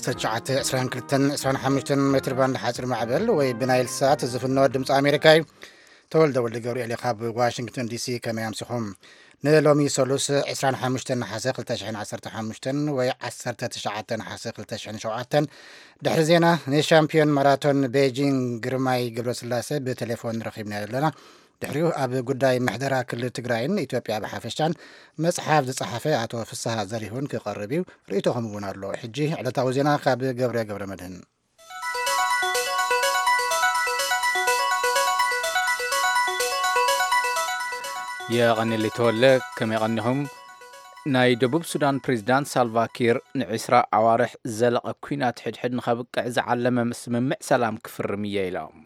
ሰዓት ዕስራን ክልተን ዕስራን ሓሙሽተን ሜትር ባንድ ሓፂር ማዕበል ወይ ብናይል ሳት ዝፍኖ ድምፂ ኣሜሪካ እዩ። ተወልደ ወልደ ገብርኤል ካብ ዋሽንግተን ዲሲ። ከመይ ኣምሲኹም? ንሎሚ ሰሉስ ዕስራን ሓሙሽተን ነሓሰ ክልተ ሽሕን ዓሰርተ ሓሙሽተን ወይ ዓሰርተ ትሽዓተ ነሓሰ ክልተ ሽሕን ሸውዓተን፣ ድሕሪ ዜና ንሻምፒዮን ማራቶን ቤጂንግ ግርማይ ገብረስላሴ ብቴሌፎን ረኺብና ኣለና። ድሕሪኡ ኣብ ጉዳይ ምሕደራ ክልል ትግራይን ኢትዮጵያ ብሓፈሻን መጽሓፍ ዝጸሓፈ ኣቶ ፍስሃ ዘሪሁን ክቐርብ እዩ። ርእይቶኹም እውን ኣሎ። ሕጂ ዕለታዊ ዜና ካብ ገብረ ገብረ መድህን። የቐኒለይ ተወለ። ከመይ ቀኒኹም? ናይ ደቡብ ሱዳን ፕሬዝዳንት ሳልቫ ኪር ንዒስራ ኣዋርሕ ዝዘለቐ ኲናት ሕድሕድ ንኸብቅዕ ዝዓለመ ስምምዕ ሰላም ክፍርም እየ ኢሎም።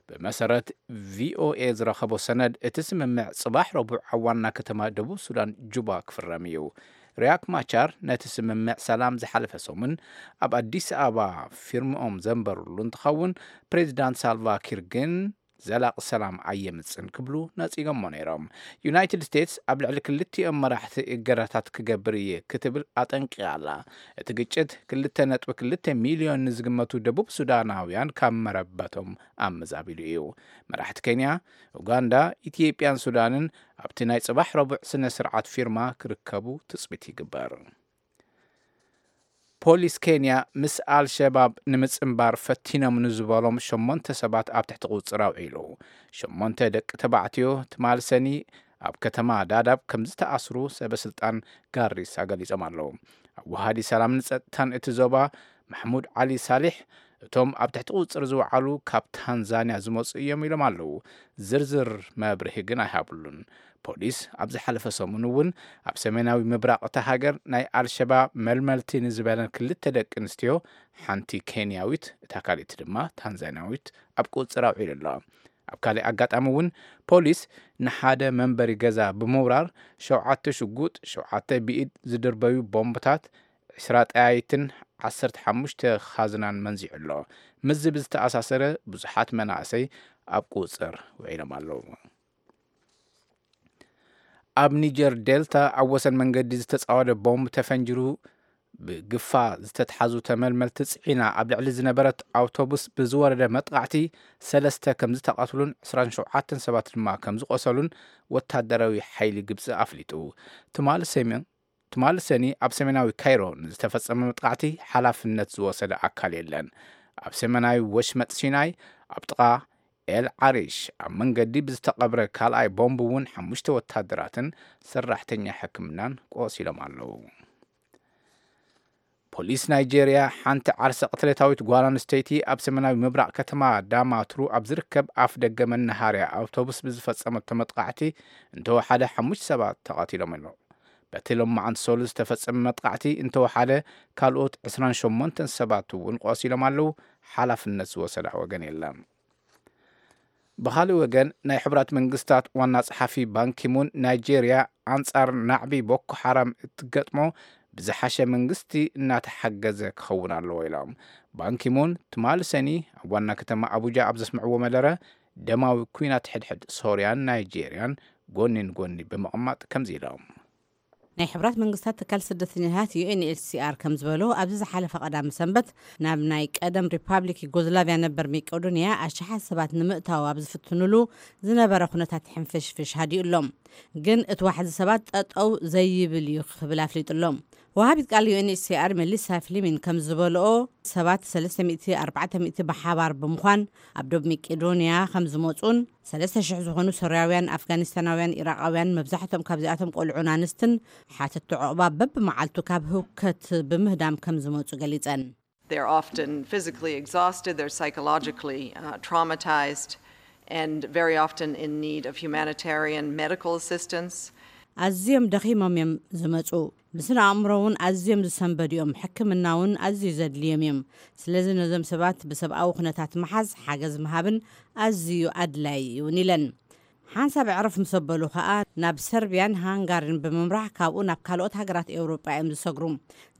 ብመሰረት ቪኦኤ ዝረኸቦ ሰነድ፣ እቲ ስምምዕ ጽባሕ ረቡዕ ኣብ ዋና ከተማ ደቡብ ሱዳን ጁባ ክፍረም እዩ። ሪያክ ማቻር ነቲ ስምምዕ ሰላም ዝሓለፈ ሰሙን ኣብ ኣዲስ ኣበባ ፊርምኦም ዘንበሩሉ እንትኸውን፣ ፕሬዝዳንት ሳልቫ ኪር ግን ዘላቂ ሰላም ኣየምጽን ክብሉ ነጺጎሞ ነይሮም። ዩናይትድ ስቴትስ ኣብ ልዕሊ ክልቲኦም መራሕቲ እገዳታት ክገብር እየ ክትብል ኣጠንቂቓ ኣላ። እቲ ግጭት ክልተ ነጥቢ ክልተ ሚልዮን ንዝግመቱ ደቡብ ሱዳናውያን ካብ መረበቶም ኣመዛቢሉ እዩ። መራሕቲ ኬንያ፣ ኡጋንዳ፣ ኢትዮጵያን ሱዳንን ኣብቲ ናይ ጽባሕ ረቡዕ ስነ ስርዓት ፊርማ ክርከቡ ትጽቢት ይግበር። ፖሊስ ኬንያ ምስ ኣልሸባብ ንምጽንባር ፈቲኖም ንዝበሎም ሸሞንተ ሰባት ኣብ ትሕቲ ቁጽር ኣውዒሉ። ሸሞንተ ደቂ ተባዕትዮ ትማል ሰኒ ኣብ ከተማ ዳዳብ ከም ዝተኣስሩ ሰበ ስልጣን ጋሪሳ ገሊጾም ኣለዉ። ኣዋሃዲ ሰላምን ጸጥታን እቲ ዞባ ማሕሙድ ዓሊ ሳሊሕ፣ እቶም ኣብ ትሕቲ ቁጽር ዝወዓሉ ካብ ታንዛንያ ዝመጹ እዮም ኢሎም ኣለዉ። ዝርዝር መብርሂ ግን ኣይሃብሉን። ፖሊስ ኣብ ዝሓለፈ ሰሙን እውን ኣብ ሰሜናዊ ምብራቕ እታ ሃገር ናይ ኣልሸባብ መልመልቲ ንዝበለን ክልተ ደቂ ኣንስትዮ፣ ሓንቲ ኬንያዊት፣ እታ ካልእቲ ድማ ታንዛንያዊት፣ ኣብ ቁጽር ኣውዒሉ ኣሎ። ኣብ ካልእ ኣጋጣሚ እውን ፖሊስ ንሓደ መንበሪ ገዛ ብምውራር ሸውዓተ ሽጉጥ፣ ሸውዓተ ብኢድ ዝድርበዩ ቦምብታት፣ ዕስራ ጠያይትን ዓሰርተ ሓሙሽተ ኻዝናን መንዚዑ ኣሎ። ምስዚ ብዝተኣሳሰረ ብዙሓት መናእሰይ ኣብ ቁጽር ውዒሎም ኣለዉ። ኣብ ኒጀር ዴልታ ኣብ ወሰን መንገዲ ዝተጻወደ ቦምብ ተፈንጅሩ ብግፋ ዝተትሓዙ ተመልመልቲ ጽዒና ኣብ ልዕሊ ዝነበረት ኣውቶቡስ ብዝወረደ መጥቓዕቲ ሰለስተ ከም ዝተቐትሉን ዕስራን ሸውዓተን ሰባት ድማ ከም ዝቖሰሉን ወታደራዊ ሓይሊ ግብጺ ኣፍሊጡ። ትማሊ ሰሜን ትማሊ ሰኒ ኣብ ሰሜናዊ ካይሮ ንዝተፈጸመ መጥቃዕቲ ሓላፍነት ዝወሰደ ኣካል የለን። ኣብ ሰሜናዊ ወሽመጥ ሲናይ ኣብ ጥቓ ኤል ዓሪሽ ኣብ መንገዲ ብዝተቐብረ ካልኣይ ቦምብ እውን ሓሙሽተ ወታደራትን ሰራሕተኛ ሕክምናን ቆሲሎም ኣለዉ። ፖሊስ ናይጄርያ ሓንቲ ዓርሰ ቅትለታዊት ጓል ኣንስተይቲ ኣብ ሰሜናዊ ምብራቕ ከተማ ዳማቱሩ ኣብ ዝርከብ ኣፍ ደገ መናሃርያ ኣውቶቡስ ብዝፈጸመቶ መጥቃዕቲ እንተወሓደ ሓሙሽተ ሰባት ተቐቲሎም ኣለዉ። በቲ ሎማዓንቲ ሰሉስ ዝተፈጸመ መጥቃዕቲ እንተወሓደ ካልኦት ዕስራን ሸሞንተን ሰባት እውን ቆሲሎም ኣለዉ። ሓላፍነት ዝወሰዳ ወገን የለን። ብኻልእ ወገን ናይ ሕቡራት መንግስታት ዋና ጸሓፊ ባንኪሙን ናይጄርያ ኣንጻር ናዕቢ ቦኮ ሓራም እትገጥሞ ብዝሓሸ መንግስቲ እናተሓገዘ ክኸውን ኣለዎ ኢሎም። ባንኪሙን ትማሊ ሰኒ ኣብ ዋና ከተማ ኣቡጃ ኣብ ዘስምዕዎ መደረ ደማዊ ኲናት ሕድሕድ ሶርያን ናይጄርያን ጎኒ ንጎኒ ብምቕማጥ ከምዚ ኢሎም። ናይ ሕብራት መንግስታት ትካል ስደተኛታት ዩ ኤን ኤች ሲ ኣር ከም ዝበሎ ኣብዚ ዝሓለፈ ቀዳሚ ሰንበት ናብ ናይ ቀደም ሪፓብሊክ ዩጎዝላቪያ ነበር መቄዶንያ ኣሽሓት ሰባት ንምእታው ኣብ ዝፍትኑሉ ዝነበረ ኩነታት ሕንፍሽፍሽ ሃዲኡ ኣሎ። ግን እቲ ዋሕዚ ሰባት ጠጠው ዘይብል እዩ ክብል ኣፍሊጡ ኣሎ። ወሃቢት ቃል ዩ ኤን ኤች ሲ ኣር መሊሳ ፍሊሚን ከም ዝበልኦ ሰባት ሰለስተ ሚእቲ ኣርባዕተ ሚእቲ ብሓባር ብምዃን ኣብ ዶብ መቄዶንያ ከም ዝመፁን ሰለስተ ሽሕ ዝኾኑ ሶርያውያን፣ ኣፍጋኒስታናውያን፣ ኢራቃውያን መብዛሕትኦም ካብዚኣቶም ቆልዑን ኣንስትን ሓተቲ ዑቕባ በብመዓልቱ ካብ ህውከት ብምህዳም ከም ዝመፁ ገሊፀን። They're often physically exhausted, they're psychologically uh, traumatized, and very often in need of humanitarian medical assistance. ኣዝዮም ደኺሞም እዮም ዝመፁ። ብስነ ኣእምሮ እውን ኣዝዮም ዝሰንበዱ እዮም። ሕክምና እውን ኣዝዩ ዘድልዮም እዮም። ስለዚ ነዞም ሰባት ብሰብኣዊ ኩነታት ምሓዝ፣ ሓገዝ ምሃብን ኣዝዩ ኣድላዪ እዩን ኢለን። ሓንሳብ ዕርፍ ምስ ኣበሉ ከኣ ናብ ሰርቢያን ሃንጋሪን ብምምራሕ ካብኡ ናብ ካልኦት ሃገራት ኤውሮጳ እዮም ዝሰግሩ።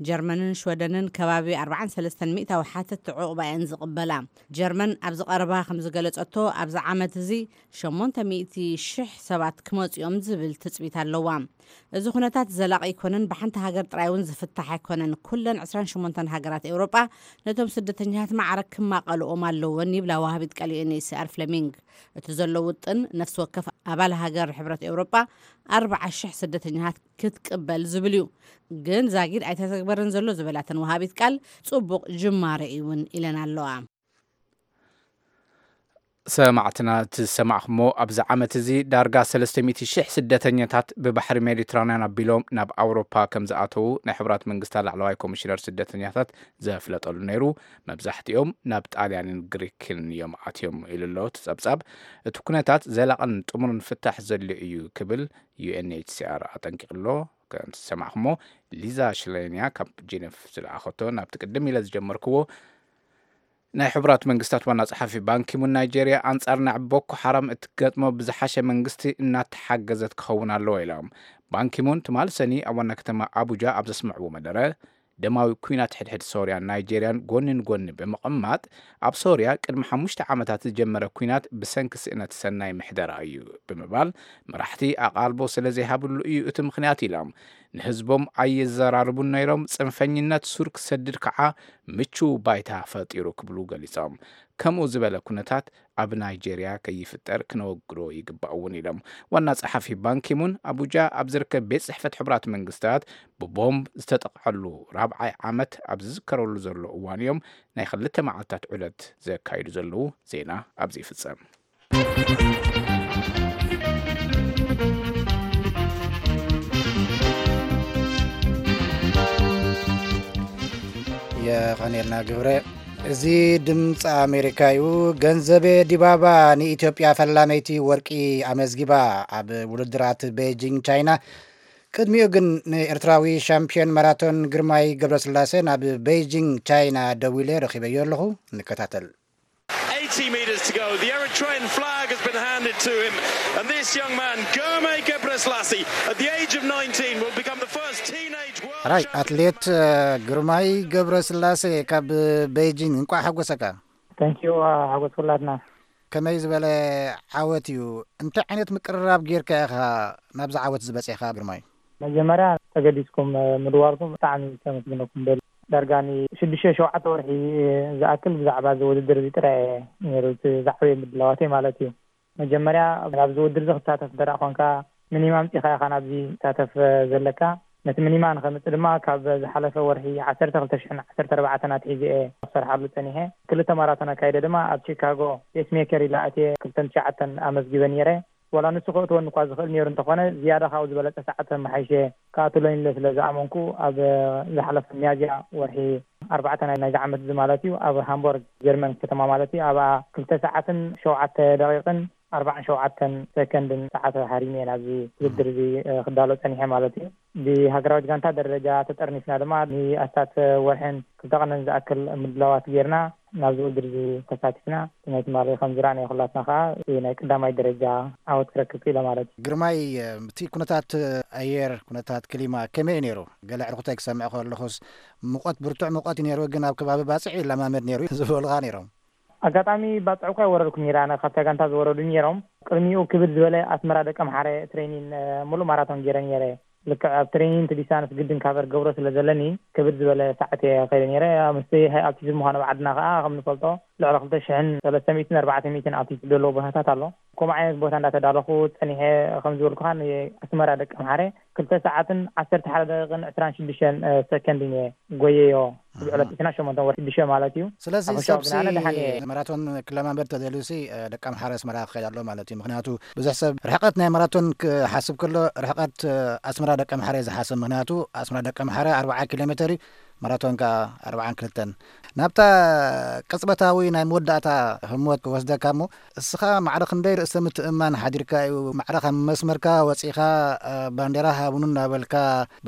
ጀርመንን ሽወደንን ከባቢ ኣርባዓን ሰለስተን ሚእታዊ ሓተትቲ ዕቑባ እየን ዝቕበላ። ጀርመን ኣብዚ ቀረባ ከም ዝገለጸቶ ኣብዚ ዓመት እዚ ሸሞንተ ሚእቲ ሽሕ ሰባት ክመጹ እዮም ዝብል ትጽቢት ኣለዋ። እዚ ኩነታት ዘላቒ ኣይኮነን፣ ብሓንቲ ሃገር ጥራይ እውን ዝፍታሕ ኣይኮነን። ኩለን ዕስራን ሸሞንተን ሃገራት ኤውሮጳ ነቶም ስደተኛታት ማዕረ ክማቐልኦም ኣለወን ይብላ ወሃቢት ቃል ዩ ኤን ኤች ሲ ኣር ፍለሚንግ። እቲ ዘሎ ውጥን ነፍሲ ወከፍ ኣባል ሃገር ሕብረት ኤውሮጳ ኣርብዓ ሽሕ ስደተኛታት ክትቅበል ዝብል እዩ። ግን ዛጊድ ኣይተተግበረን ዘሎ ዝበላተን ወሃቢት ቃል ጽቡቕ ጅማረ እዩ እውን ኢለን ኣለዋ። ሰማዕትና እቲ ዝሰማዕኹሞ ኣብዚ ዓመት እዚ ዳርጋ ሰለስተ ሚእቲ ሽሕ ስደተኛታት ብባሕሪ ሜዲትራንያን ኣቢሎም ናብ ኣውሮፓ ከም ዝኣተዉ ናይ ሕቡራት መንግስታት ላዕለዋይ ኮሚሽነር ስደተኛታት ዘፍለጠሉ ነይሩ። መብዛሕትኦም ናብ ጣልያንን ግሪክን እዮም ኣትዮም ኢሉ ኣሎ እቲ ጸብጻብ። እቲ ኩነታት ዘላቕን ጥሙርን ፍታሕ ዘድልዮ እዩ ክብል ዩ ኤን ኤች ሲ ኣር ኣጠንቂቕሎ። ከም ዝሰማዕኹሞ ሊዛ ሽሌንያ ካብ ጄኔቭ ዝለኣኸቶ ናብቲ ቅድም ኢለ ዝጀመርክዎ ናይ ሕቡራት መንግስታት ዋና ጸሓፊ ባንኪሙን ናይጄርያ ኣንጻር ናብ ቦኮ ሓራም እትገጥሞ ብዝሓሸ መንግስቲ እናተሓገዘት ክኸውን ኣለዎ ኢሎም። ባንኪሙን ትማል ሰኒ ኣብ ዋና ከተማ ኣቡጃ ኣብ ዘስምዕዎ መደረ ደማዊ ኩናት ሕድሕድ ሶርያን ናይጄርያን ጎኒ ንጎኒ ብምቕማጥ ኣብ ሶርያ ቅድሚ ሓሙሽተ ዓመታት ዝጀመረ ኩናት ብሰንኪ ስእነት ሰናይ ምሕደራ እዩ ብምባል መራሕቲ ኣቓልቦ ስለ ዘይሃብሉ እዩ እቲ ምኽንያት ኢሎም። ንህዝቦም ኣየዘራርቡን ነይሮም፣ ጽንፈኝነት ሱር ክሰድድ ከዓ ምቹው ባይታ ፈጢሩ ክብሉ ገሊጾም። ከምኡ ዝበለ ኩነታት ኣብ ናይጄርያ ከይፍጠር ክነወግዶ ይግባእ እውን ኢሎም። ዋና ጸሓፊ ባንኪሙን ኣቡጃ ኣብ ዝርከብ ቤት ጽሕፈት ሕቡራት መንግስታት ብቦምብ ዝተጠቕዐሉ ራብዓይ ዓመት ኣብ ዝዝከረሉ ዘሎ እዋን እዮም ናይ ክልተ መዓልታት ዑደት ዘካይዱ ዘለዉ። ዜና ኣብዚ ይፍጸም። የቐኔልና ግብረ። እዚ ድምፂ ኣሜሪካ እዩ። ገንዘቤ ዲባባ ንኢትዮጵያ ፈላመይቲ ወርቂ ኣመዝጊባ ኣብ ውድድራት ቤጂንግ ቻይና። ቅድሚኡ ግን ንኤርትራዊ ሻምፒዮን ማራቶን ግርማይ ገብረስላሴ ናብ ቤጂንግ ቻይና ደዊለ ረኺበዮ ኣለኹ። ንከታተል። Eighty metres to go. The Eritrean flag has been handed to him, and this young man, Germe Gebrselassie, at the age of nineteen, will become the first teenage world ሕራይ champion. ኣትሌት ግርማይ ገብረስላሴ ካብ ቤጂንግ፣ እንቋዕ ሓጎሰካ። Thank you፣ ሓጎስ ኩላትና። ከመይ ዝበለ ዓወት እዩ? እንታይ ዓይነት ምቅርራብ ጌርካ ኢኻ ናብዚ ዓወት ዝበጺሕካ ግርማይ? መጀመርያ ተገዲስኩም ምድዋልኩም ብጣዕሚ ከመስግነኩም ደሊ። ዳርጋ ንሽዱሽተ ሸውዓተ ወርሒ ዝኣክል ብዛዕባ እዚ ውድድር እዚ ጥራይ እየ ነይሩ እቲ ዝዓበየ ምድላዋተይ ማለት እዩ። መጀመርያ ናብዚ ውድድር እዚ ክሳተፍ እንተ ደኣ ኾንካ፣ ሚኒማ ኣምጺኻ ኢኻ ናብዚ ትሳተፍ ዘለካ። ነቲ ሚኒማ ንኸምጽእ ድማ ካብ ዝሓለፈ ወርሒ ዓሰርተ ክልተ ሽሕን ዓሰርተ ኣርባዕተን ኣትሒዘ እየ ክሰርሓሉ ጸኒሐ። ክልተ ማራቶን ኣካይደ ድማ ኣብ ቺካጎ ፔስሜከር ኢለ ኣትየ ክልተን ትሽዓተን ኣመዝጊበ ነይረ። ዋላ ንሱ ከእትወኒ እኳ ዝኽእል ነይሩ እንተኾነ፣ ዝያዳ ካብኡ ዝበለጸ ሰዓት ኣመሓይሸ ክኣትወኒ ኢለ ስለ ዝኣመንኩ፣ ኣብ ዝሓለፈ ሚያዝያ ወርሒ ኣርባዕተ ናይ ናይዚ ዓመት እዚ ማለት እዩ፣ ኣብ ሃምቦርግ ጀርመን ከተማ ማለት እዩ፣ ኣብኣ ክልተ ሰዓትን ሸውዓተ ደቂቕን ኣርባዓን ሸውዓተን ሰከንድን ሰዓት ሃሪመ እየ ናብዚ ውድድር እዚ፣ እ፣ ክዳሎ ጸኒሐ ማለት እዩ። ብሃገራዊት ጋንታ ደረጃ ተጠርኒፍና ድማ ንኣስታት ወርሕን ክልተ ቀንን ዝኣክል ምድላዋት ጌርና ናብዚ ውድድር እዚ ተሳቲፍና። እቲ ናይ ትማሊ ከም ዝረኣናዮ ኩላትና ከኣ እቲ ናይ ቀዳማይ ደረጃ ዓወት ክረክብ ክኢለ ማለት እዩ። ግርማይ፣ እቲ ኩነታት ኣየር፣ ኩነታት ክሊማ ከመይ እዩ ነይሩ? ገለ ዕርኩታይ ክሰምዕ ከለኹስ፣ ሙቐት፣ ብርቱዕ ሙቐት እዩ ነይሩ፣ ግን ኣብ ከባቢ ባጽዕ ይለማመድ ነይሩ ዝበሉኻ ነይሮም። ኣጋጣሚ ባጽዕ እኳ ኣይወረድኩን ነይረ፣ ኣነ ካብታ ጋንታ ዝወረዱ ነይሮም። ቅድሚኡ ክብድ ዝበለ ኣስመራ ደቀምሓረ ትሬኒን፣ እ፣ ሙሉእ ማራቶን ገይረ ነይረ። ልክዕ ኣብ ትሬኒን እቲ ዲስታንስ ግድን ካቨር ገብሮ ስለ ዘለኒ፣ ክብድ ዝበለ ሰዓት እየ ከይደ ነይረ። ምስቲ ሃይ ኣልቲቱድ ምዃኑ ኣብ ዓድና ከኣ ከም ንፈልጦ፣ ልዕሊ ክልተ ሽሕን ሰለስተ ሚእትን ኣርባዕተ ሚእትን ኣልቲቱድ ዘለዎ ቦታታት ኣሎ። ከምኡ ዓይነት ቦታ እንዳተዳለኹ ጸኒሐ፣ ከም ዝበልኩኻ ንኣስመራ ደቀምሓረ ክልተ ሰዓትን ዓሰርተ ሓደ ደቂቕን ዕስራን ሽዱሽተን፣ እ፣ ሰከንድን እየ ጎየዮ። ኣብ ዕለት ዕስራን ሸሞንተን ወርሒ ሽዱሽተ ማለት እዩ። ስለዚ ኣብ ሰብ ሕሻው ግን ኣነ ደሓን እየ። ማራቶን ክለማመድ ተደልዩሲ፣ እ፣ ደቀምሓረ ኣስመራ ክኸይድ ኣሎ ማለት እዩ። ምኽንያቱ ብዙሕ ሰብ ርሕቀት ናይ ማራቶን ክሓስብ ከሎ ርሕቀት፣ እ፣ ኣስመራ ደቀምሓረ እዩ ዝሓስብ። ምኽንያቱ ኣስመራ ደቀምሓረ ኣርብዓ ኪሎ ሜተር እዩ፣ ማራቶን ከኣ ኣርብዓን ክልተን። ናብታ ቅጽበታዊ ናይ መወዳእታ ህሞት ክወስደካ እሞ፣ እስኻ ማዕረ ክንደይ ርእሰ ምትእምማን ሓዲርካ እዩ? ማዕረ ካብ መስመርካ ወጺኻ፣ እ፣ ባንዴራ ሃቡኒ እናበልካ፣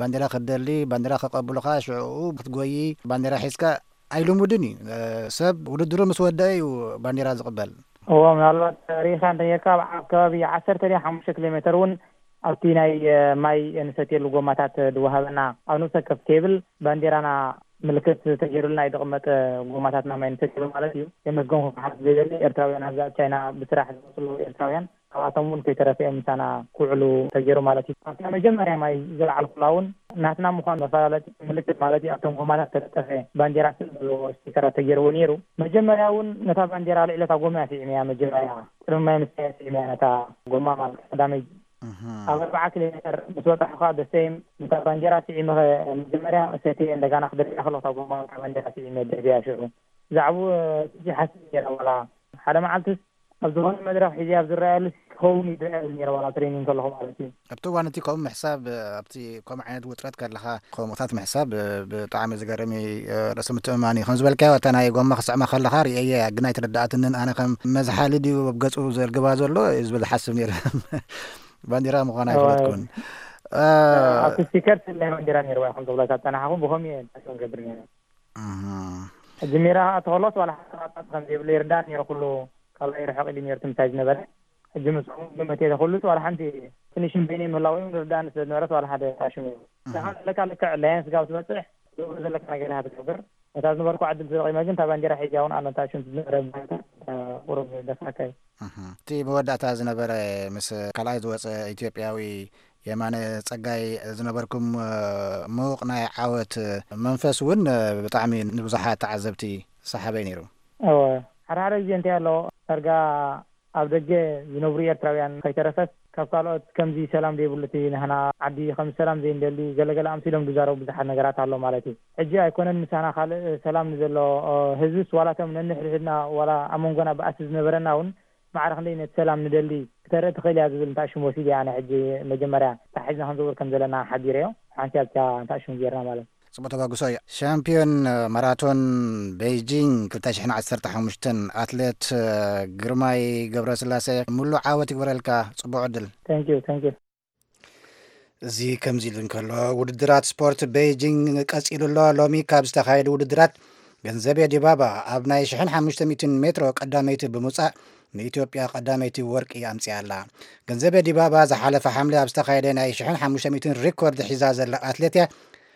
ባንዴራ ክትደሊ፣ ባንዴራ ከቀብሉኻ፣ ሽዑ ክትጎዪ፣ ባንዴራ ሒዝካ ኣይልሙድን እዩ። እ፣ ሰብ ውድድሩ ምስ ወደአ እዩ ባንዴራ ዝቕበል። እዎ፣ ምናልባት ርኢኻ እንተኔርካ፣ ኣብ ከባቢ ዓሰርተ ድያ ሓሙሽተ ኪሎ ሜተር እውን ኣብቲ ናይ፣ እ፣ ማይ እንሰትየሉ ጎማታት ድወሃበና፣ ኣብ ነፍሲ ወከፍ ቴብል ባንዴራና ምልክት ተገይሩልና እዩ ዝቕመጥ፣ ጎማታትና ማይ እንሰትየሉ ማለት እዩ። የመስገንኩ ክሓት ዝደሊ ኤርትራውያን ኣብዛ ኣብ ቻይና ብስራሕ ዝመፅሉ ኤርትራውያን፣ ካብኣቶም እውን ከይተረፈ እዮም ምሳና ክውዕሉ ተገይሩ ማለት እዩ። ኣብታ መጀመርያ ማይ ዝለዓልኩላ እውን ናትና ምዃኑ መፈላለጢ ምልክት ማለት እዩ፣ ኣብቶም ጎማታት ተለጠፈ ባንዴራ ስእሊ ዘለዎ ስቲከራት ተገይርዎ ነይሩ። መጀመርያ እውን ነታ ባንዴራ ልዕሊ እታ ጎማ እያ ስዒመያ። መጀመርያ ቅድሚ ማይ ምስታይ እያ ስዒመያ ነታ ጎማ ማለት ቀዳመይ። እህ። ኣብ ኣርብዓ ኪሎ ሜተር ምስ በጻሕኹ ከዓ ደሰይም ነታ ባንዴራ ስዒመ መጀመርያ ሰትየ እንደጋና ክደርብያ ከለኹ እታ ጎማ እታ ባንዴራ ስዒመ ደርብያ ሽዑ። ብዛዕባኡ፣ እ፣ ትጂ ሓስብ ነይረ ዋላ ሓደ መዓልትስ ኣብ ዝኾነ መድረኽ ሒዘ ኣብ ዝረኣየሉ ክኸውን እዩ ዝረኣየሉ ነይረ ዋላ ትሬኒንግ ከለኹ ማለት እዩ። ኣብቲ እዋን እቲ ከምኡ ምሕሳብ፣ ኣብቲ ከምኡ ዓይነት ውጥረት ከለኻ ከምኡታት ምሕሳብ ብጣዕሚ ዝገርም እዩ። ርእሲ ምትእምማን እዩ። ከም ዝበልካዮ እታ ናይ ጎማ ክስዕማ ከለኻ ርእየያ እያ፣ ግን ኣይተረድኣትንን። ኣነ ከም መዝሓሊ ድዩ ኣብ ገጹ ዘርግባ ዘሎ እዩ ዝብል ዝሓስብ ነይረ። ባንዲራ ምዃና እዋ፣ ኣይፈለጥኩን። እ፣ ኣብቲ ስቲከር ስለ ባንዲራ ነይርዋ ከም ተብሎ ካብ ጸናሕኹም ብኸምኡ እየ ንገብር ነይረ። እህ። ሕጂ ሜዳ ክኣቱ ከሎስ ዋላ ሓንቲ ቃጣት ከም ዘይብሉ ይርዳእ ነይሩ። ኩሉ ካልኣይ ርሕቕ ኢሉ ነይሩ እቲ ምሳይ ዝነበረ። ሕጂ ምስኦም ግምት እየ ዘኹሉስ ዋላ ሓንቲ ፊኒሽን በይነይ ምህላው እዮም ዝርዳእኒ ስለ ዝነበረስ ዋላ ሓደ ታሽሙ እዩ። እህ። ንኻ ዘለካ ልክዕ ኣላያንስ ጋብ ትበጽሕ ዝብሉ ዘለካ ነገር ኢኻ ትገብር። ነታ ዝነበርኩ ዕድል ተጠቒመ ግን እታ ባንዴራ ሒዛ እውን ኣሎ ታሽም ዝነበረ ባይታ ቁሩብ ደፋእካ እዩ። እህ። እቲ መወዳእታ ዝነበረ ምስ ካልኣይ ዝወጸ ኢትዮጵያዊ የማነ ጸጋይ ዝነበርኩም፣ እ፣ ምዉቕ ናይ ዓወት መንፈስ እውን፣ እ፣ ብጣዕሚ ንብዙሓት ተዓዘብቲ ሰሓበይ ነይሩ። እወ፣ ሓደ ሓደ ግዜ እንታይ ኣሎ፣ ዳርጋ ኣብ ደገ ዝነብሩ ኤርትራውያን ከይተረፈስ ካብ ካልኦት ከምዚ ሰላም ዘይብሉ እቲ ንህና ዓዲ ከም ሰላም ዘይንደሊ ገለገለ ኣምሲሎም ዝዛረቡ ብዙሓት ነገራት ኣሎ ማለት እዩ። ሕጂ ኣይኮነን ምሳና ካልእ ሰላም ንዘሎ፣ እ፣ ህዝብስ ዋላ እቶም ነንሕድሕድና ዋላ ኣብ መንጎና ባእሲ ዝነበረና እውን ማዕረ ክንደይ ነቲ ሰላም ንደሊ ክተርኢ ትኽእል እያ ዝብል እንታይ ሽም ወሲደ እየ ኣነ ሕጂ መጀመርያ እንታይ ሒዝና ክንዝውር ከም ዘለና ሓቢረዮ። ሓንቲ ኣብታ እንታይ ሽም ጌርና ማለት። ጽቡቕ ተበግሶ እዩ። ሻምፒዮን ማራቶን ቤይጂንግ ክልተ ሽሕን ዓሰርተ ሓሙሽተን ኣትሌት ግርማይ ገብረስላሴ፣ ምሉእ ዓወት ይግበረልካ። ጽቡቕ ዕድል። Thank you, thank you። እዚ ከምዚ ኢሉ እንከሎ፣ ውድድራት ስፖርት ቤይጂንግ ቀጺሉ ኣሎ። ሎሚ ካብ ዝተኻየዱ ውድድራት፣ ገንዘቤ ዲባባ ኣብ ናይ ሽሕን ሓሙሽተ ሚእትን ሜትሮ ቀዳመይቲ ብምውጻእ፣ ንኢትዮጵያ ቀዳመይቲ ወርቂ ኣምጺኣ ኣላ። ገንዘቤ ዲባባ ዝሓለፈ ሓምለ ኣብ ዝተኻየደ ናይ ሽሕን ሓሙሽተ ሚእትን ሪኮርድ ሒዛ ዘላ ኣትሌት እያ።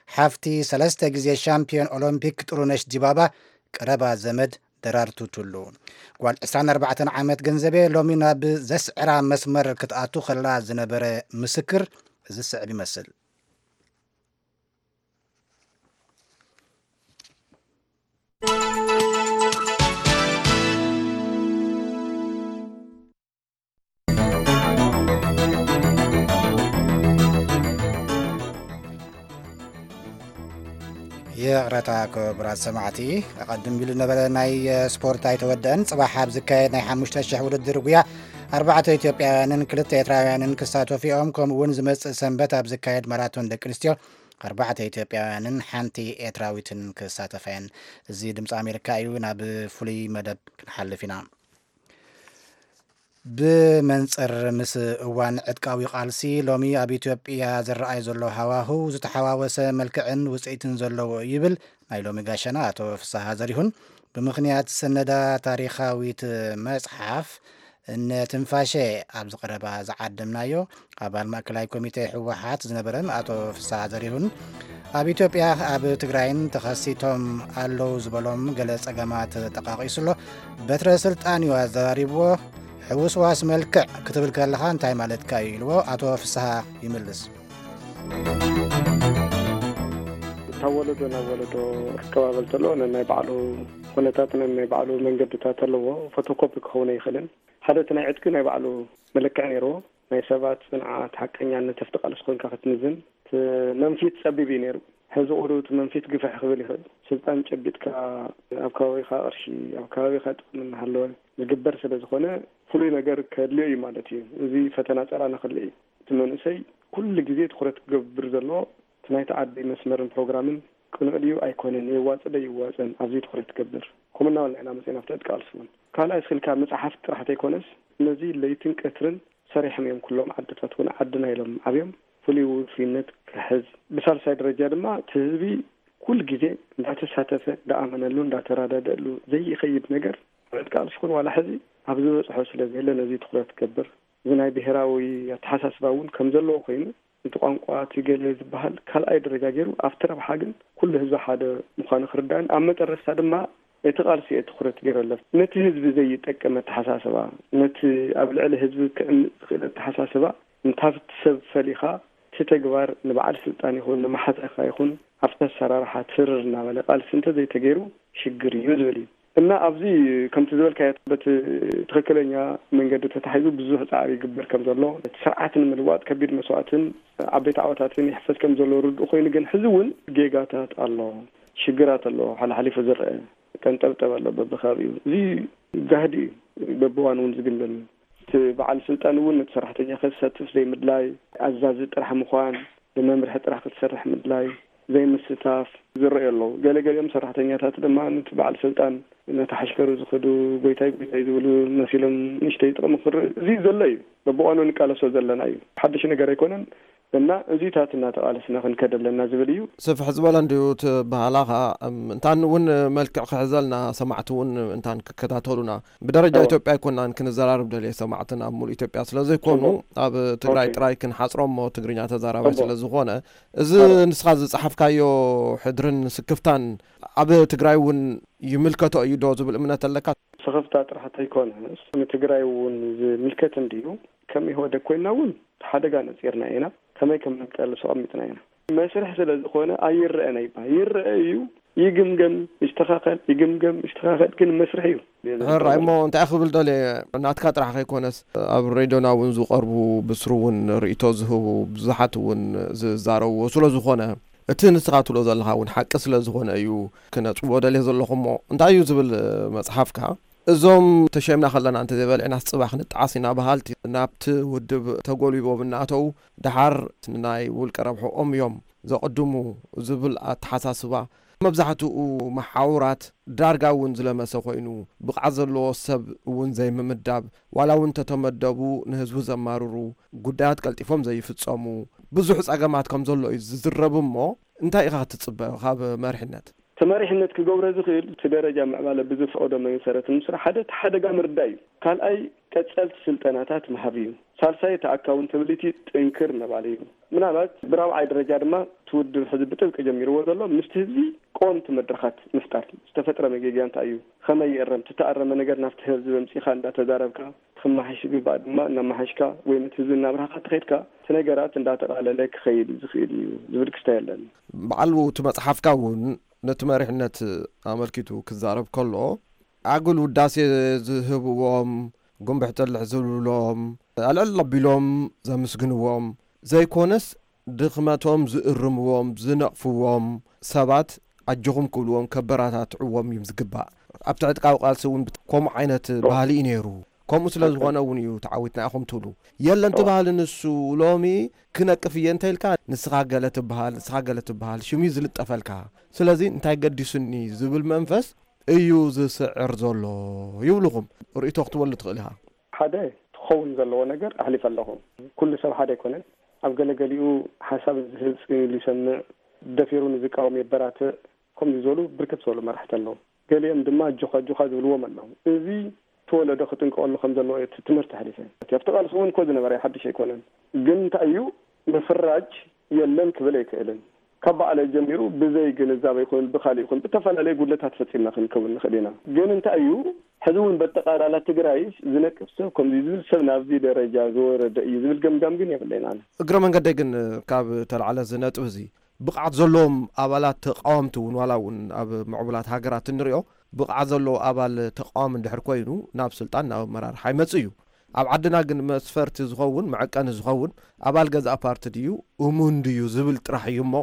ሓፍቲ ሰለስተ ግዜ ሻምፒዮን ኦሎምፒክ ጥሩነሽ ዲባባ ቀረባ ዘመድ ደራርቱ ቱሉ። ጓል ዕስራን ኣርባዕተን ዓመት ገንዘቤ ሎሚ ናብ ዘስዕራ መስመር ክትኣቱ ከላ ዝነበረ ምስክር እዚ ዝስዕብ ይመስል። ይቕረታ ክቡራት ሰማዕቲ፣ ኣቐድም ኢሉ ነበረ ናይ ስፖርት ኣይተወደአን። ጽባሕ ኣብ ዝካየድ ናይ ሓሙሽተ ሽሕ ውድድር ጉያ ኣርባዕተ ኢትዮጵያውያንን ክልተ ኤርትራውያንን ክሳተፉ እዮም። ከምኡ እውን ዝመጽእ ሰንበት ኣብ ዝካየድ ማራቶን ደቂ ኣንስትዮ ኣርባዕተ ኢትዮጵያውያንን ሓንቲ ኤርትራዊትን ክሳተፋ እየን። እዚ ድምፂ ኣሜሪካ እዩ። ናብ ፍሉይ መደብ ክንሓልፍ ኢና። ብመንጽር ምስ እዋን ዕጥቃዊ ቃልሲ፣ ሎሚ ኣብ ኢትዮጵያ ዝረኣይ ዘሎ ሃዋህው ዝተሓዋወሰ መልክዕን ውጽኢትን ዘለዎ እዩ ይብል ናይ ሎሚ ጋሻና ኣቶ ፍስሃ ዘሪሁን። ብምኽንያት ሰነዳ ታሪኻዊት መጽሓፍ እነ ትንፋሸ ኣብ ዝቐረባ ዝዓደምናዮ ኣባል ማእከላይ ኮሚቴ ህወሓት ዝነበረን ኣቶ ፍስሃ ዘሪሁን፣ ኣብ ኢትዮጵያ ኣብ ትግራይን ተኸሲቶም ኣለዉ ዝበሎም ገለ ጸገማት ጠቓቒሱ ኣሎ። በትረ ስልጣን እዩ ኣዘራሪብዎ። ሕውስዋስ መልክዕ ክትብል ከለኻ እንታይ ማለትካ እዩ ኢልዎ ኣቶ ፍስሃ ይምልስ። ካብ ወለዶ ናብ ወለዶ ክቀባበል ተሎ ነናይ ባዕሉ ኩነታት ነናይ ባዕሉ መንገድታት ኣለዎ። ፎቶኮፒ ክኸውን ኣይኽእልን። ሓደ እቲ ናይ ዕጥቂ ናይ ባዕሉ መለክዒ ነይርዎ። ናይ ሰባት ጽንዓት፣ ሓቀኛነት፣ ኣብቲ ቃልሲ ኮንካ ክትምዝን እቲ መንፊት ጸቢብ እዩ ነይሩ። ሕዚ ቁሩብ እቲ መንፊት ግፍሕ ክብል ይኽእል። ስልጣን ጨቢጥካ ኣብ ከባቢኻ ቅርሺ፣ ኣብ ከባቢኻ ጥቕሚ እናሃለወ ዝግበር ስለ ዝኾነ ፍሉይ ነገር ከድልዮ እዩ ማለት እዩ። እዚ ፈተና ጸላእና ክልእ እዩ። እቲ መንእሰይ ኩሉ ግዜ ትኹረት ክገብር ዘለዎ እቲ ናይቲ ዓዲ መስመርን ፕሮግራምን ቅኑዕ ድዩ ኣይኮነን፣ የዋጽእ ዶ ይዋጸን፣ ኣብዚ ትኹረት ክገብር። ከምኡ እናበልና ኢና መጺና ኣብቲ ዕጥቂ ቃልሲ እውን። ካልኣይ፣ ስልካ መጽሓፍ ጥራሕ ተይኮነስ፣ ነዚ ለይትን ቀትርን ሰሪሖም እዮም። ኩሎም ዓድታት እውን ዓድና ኢሎም ዓብዮም። ፍሉይ ውፉይነት ክሕዝ፣ ብሳልሳይ ደረጃ ድማ፣ እቲ ህዝቢ ኩሉ ግዜ እንዳተሳተፈ፣ እንዳኣመነሉ፣ እንዳተረዳደእሉ ዘይኸይድ ነገር፣ ዕጥቂ ቃልሲ ይኹን ዋላ ሕዚ ኣብ ዝበፅሖ ስለ ዘየለ ነዚ ትኹረት ክገብር፣ እዚ ናይ ብሔራዊ ኣተሓሳስባ እውን ከም ዘለዎ ኮይኑ፣ እቲ ቋንቋ እቲ ገለ ዝበሃል ካልኣይ ደረጃ ገይሩ ኣብቲ ረብሓ ግን ኩሉ ህዝቢ ሓደ ምዃኑ ክርዳእን ኣብ መጠረስታ ድማ እቲ ቃልሲ እየ ትኹረት ገይረለፍ። ነቲ ህዝቢ ዘይጠቅም ኣተሓሳስባ፣ ነቲ ኣብ ልዕሊ ህዝቢ ክዕምፅ ዝኽእል ኣተሓሳስባ እንታብቲ ሰብ ፈሊኻ እቲ ተግባር ንበዓል ስልጣን ይኹን ንመሓዛኻ ይኹን ኣብቲ ኣሰራርሓ ትርር እናበለ ቃልሲ እንተዘይተገይሩ ሽግር እዩ ዝብል እዩ። እና ኣብዚ ከምቲ ዝበልካዮ በቲ ትኽክለኛ መንገዲ ተታሒዙ ብዙሕ ፃዕሪ ይግበር ከም ዘሎ፣ እቲ ስርዓት ንምልዋጥ ከቢድ መስዋእትን ዓበይቲ ዓወታትን ይሕፈስ ከም ዘሎ ርዱእ ኮይኑ ግን ሕዚ እውን ጌጋታት ኣሎ፣ ሽግራት ኣሎ፣ ሓላሓሊፉ ዝረአ ቀንጠብጠብ ኣሎ በብከባቢኡ። እዚ ጋህዲ እዩ፣ በብዋን እውን ዝግምገም እዩ። እቲ በዓል ስልጣን እውን ነቲ ሰራሕተኛ ከሳትፍ ዘይምድላይ፣ ኣዛዚ ጥራሕ ምዃን፣ ብመምርሒ ጥራሕ ክትሰርሕ ምድላይ፣ ዘይምስታፍ ዝረኣዩ ኣለዉ። ገለገሊኦም ሰራሕተኛታት ድማ ነቲ በዓል ስልጣን ነቲ ሓሽከሩ ዝኸዱ ጎይታይ ጎይታይ ዝብሉ መሲሎም ንእሽተይ ጥቕሚ ክርኢ እዚ ዘሎ እዩ። በብዋኑ ንቃለሶ ዘለና እዩ። ሓድሽ ነገር ኣይኮነን እና እዚታት እናተቓለስና ክንከድ ኣለና ዝብል እዩ። ስፍሕ ዝበለ እንድዩ እቲ ባህላኻ። እም፣ እንታን እውን መልክዕ ክሕዘልና ሰማዕቲ እውን እንታን ክከታተሉና ብደረጃ እወ። ኢትዮጵያ ኣይኮናን ክንዘራርብ ደልየ ሰማዕትን ኣብ ሙሉእ ኢትዮጵያ ስለ ዘይኮኑ ጽቡቅ። ኣብ ትግራይ ኦኬ። ጥራይ ክንሓጽሮ እሞ ትግርኛ ተዛራባይ ጽቡቅ። ስለ ዝኾነ እዚ እወ። ንስኻ ዝጸሓፍካዮ ሕድርን ስክፍታን ኣብ ትግራይ እውን ይምልከቶ እዩ ዶ ዝብል እምነት ኣለካ? ስኽፍታ ጥራሕ ተይኮነስ ንትግራይ እውን ዝምልከት እንድዩ። ከም ኢህወደግ ኮይንና እውን ሓደጋ ነፂርና ኢና። ከመይ ከም ንቃለሶ ኣቐሚጥና ኢና። መስርሕ ስለ ዝኾነ ኣይረአን ኣይበሃል። ይረአ እዩ፣ ይግምገም፣ ይስተኻኸል፣ ይግምገም፣ ይስተኻኸል፣ ግን መስርሕ እዩ። ሕራይ እሞ እንታይ ክብል ደልየ፣ ናትካ ጥራሕ ከይኮነስ ኣብ ሬድዮና እውን ዝቐርቡ ብስሩ እውን ርእይቶ ዝህቡ ብዙሓት እውን ዝዛረብዎ ስለ ዝኾነ እቲ ንስኻ ትብሎ ዘለኻ እውን ሓቂ ስለ ዝኾነ እዩ ክነጽዎ ደልየ ዘለኹ። እሞ እንታይ እዩ ዝብል መጽሓፍካ? እዞም ተሸይምና ከለና እንተዘይበሊዕናስ ጽባሕ ንጠዓስ ኢና በሃልቲ ናብቲ ውድብ ተጎልቢቦም እናኣተዉ ደሓር ንናይ ውልቀ ረብሕኦም እዮም ዘቕድሙ ዝብል ኣተሓሳስባ መብዛሕትኡ መሓውራት ዳርጋ እውን ዝለመሰ ኮይኑ፣ ብቕዓት ዘለዎ ሰብ እውን ዘይምምዳብ፣ ዋላ እውን እንተተመደቡ ንህዝቡ ዘማርሩ ጉዳያት ቀልጢፎም ዘይፍጸሙ ብዙሕ ጸገማት ከም ዘሎ እዩ ዝዝረብ። እሞ እንታይ ኢኻ ክትጽበ ካብ መሪሕነት? እቲ መሪሕነት ክገብሮ ዝኽእል እቲ ደረጃ ምዕባለ ብዝፈቕዶ መሰረት ንምስራሕ ሓደ እቲ ሓደጋ ምርዳእ እዩ። ካልኣይ ቀጸልቲ ስልጠናታት ምሃብ እዩ። ሳልሳይ እቲ ኣካውንታብሊቲ ጥንክር ምባል እዩ። ምናልባት ብራብዓይ ደረጃ ድማ እቲ ውድብ ሕዚ ብጥብቂ ጀሚርዎ ዘሎ ምስቲ ህዝቢ ቀወምቲ መድረኻት ምፍጣር። ዝተፈጥረ መጌግያ እንታይ እዩ? ከመይ ይእረም? እቲ ተኣረመ ነገር ናብቲ ህዝቢ ኣምጺእካ እንዳተዛረብካ፣ ክመሓሽ ዝግባእ ድማ እናመሓሽካ ወይ ነቲ ህዝቢ እናብራህካ እንተኸድካ እቲ ነገራት እንዳተቓለለ ክኸይድ ዝኽእል እዩ ዝብል ክስታይ ኣለኒ። በዓል እቲ መጽሓፍካ እውን ነቲ መሪሕነት ኣመልኪቱ ክዛረብ ከሎ ኣጉል ውዳሴ ዝህብዎም፣ ጉንብሕ ጥልሕ ዝብልሎም፣ ኣልዕል ኣቢሎም ዘምስግንዎም ዘይኮነስ ድኽመቶም ዝእርምዎም፣ ዝነቕፍዎም ሰባት ኣጆኹም ክብልዎም፣ ከበራታትዕዎም እዩ ዝግባእ። ኣብቲ ዕጥቃዊ ቃልሲ እውን ከምኡ ዓይነት ባህሊ እዩ ነይሩ። ከምኡ ስለ ዝኾነ እውን እዩ ተዓዊትና ኢኹም ትብሉ። የለን እቲ ባህሊ ንሱ ሎሚ ክነቅፍ እየ እንተ ኢልካ ንስኻ ገለ ትበሃል፣ ንስኻ ገለ ትበሃል፣ ሽም እዩ ዝልጠፈልካ። ስለዚ እንታይ ገዲሱኒ ዝብል መንፈስ እዩ ዝስዕር ዘሎ ይብልኹም። ርእይቶ ክትበሉ ትኽእል ኢኻ። ሓደ ክኸውን ዘለዎ ነገር ኣሕሊፈ ኣለኹ። ኩሉ ሰብ ሓደ ኣይኮነን። ኣብ ገለገሊኡ ሓሳብ ዝህብ ጽን ኢሉ ይሰምዕ፣ ደፊሩ ንዝቃወም የበራትዕ። ከምዚ ዝበሉ ብርክት ዝበሉ መራሕቲ ኣለዉ። ገሊኦም ድማ ኣጆኻ ኣጆኻ ዝብልዎም ኣለዉ። እዚ እቲ ወለዶ ክጥንቀቐሉ ከም ዘለዎ እቲ ትምህርቲ ኣሕሊፈ። ኣብቲ ቃልሲ እውን እኮ ዝነበረ ሓድሽ ኣይኮነን። ግን እንታይ እዩ ምፍራጅ የለን ክብል ኣይክእልን። ካብ ባዕለይ ጀሚሩ ብዘይ ግንዛበ ይኹን ብኻሊእ ይኹን ብተፈላለየ ጉድለታት ፈጺምና ክንከውን ንኽእል ኢና። ግን እንታይ እዩ ሕዚ እውን በጠቓላላ ትግራይ ዝነቅፍ ሰብ ከምዚ ዝብል ሰብ ናብዚ ደረጃ ዝወረደ እዩ ዝብል ገምጋም ግን የብለይን ኣነ። እግረ መንገደይ ግን ካብ ተላዕለ እዚ ነጥቢ እዚ ብቕዓት ዘለዎም ኣባላት ተቃወምቲ እውን ዋላ እውን ኣብ ምዕቡላት ሃገራት እንሪኦ ብቕዓት ዘለዎ ኣባል ተቃዋሚ እንድሕር ኮይኑ ናብ ስልጣን ናብ ኣመራርሓ ይመጽእ እዩ። ኣብ ዓድና ግን መስፈርቲ ዝኸውን መዐቀኒ ዝኸውን ኣባል ገዛእ ፓርቲ ድዩ እሙን ድዩ ዝብል ጥራሕ እዩ እሞ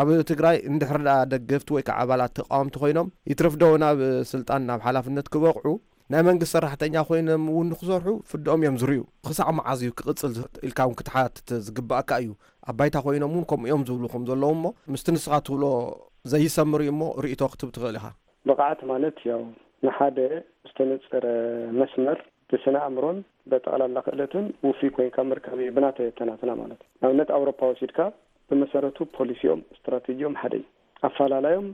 ኣብ ትግራይ እንድሕር ደኣ ደገፍቲ ወይ ከዓ ኣባላት ተቃወምቲ ኮይኖም ይትረፍ ዶ ናብ ስልጣን ናብ ሓላፍነት ክበቕዑ ናይ መንግስቲ ሰራሕተኛ ኮይኖም እውን ንክሰርሑ ፍድኦም እዮም ዝርእዩ። ክሳዕ መዓዝ እዩ ክቕፅል ኢልካ እውን ክትሓትት ዝግባእካ እዩ። ኣብ ባይታ ኮይኖም እውን ከምኡ እዮም ዝብሉ ከም ዘለዉ እሞ ምስቲ ንስኻ ትብሎ ዘይሰምር እዩ እሞ ርእይቶ ክትብ ትኽእል ኢኻ። ብቕዓት ማለት ያው ንሓደ ዝተነፀረ መስመር ብስነ ኣእምሮን በጠቕላላ ክእለትን ውፉይ ኮይንካ ምርካብ እዩ ብናተይ ኣተናትና ማለት እዩ። ንኣብነት ኣውሮፓ ወሲድካ ብመሰረቱ ፖሊሲኦም ስትራቴጂኦም ሓደ እዩ። ኣፈላላዮም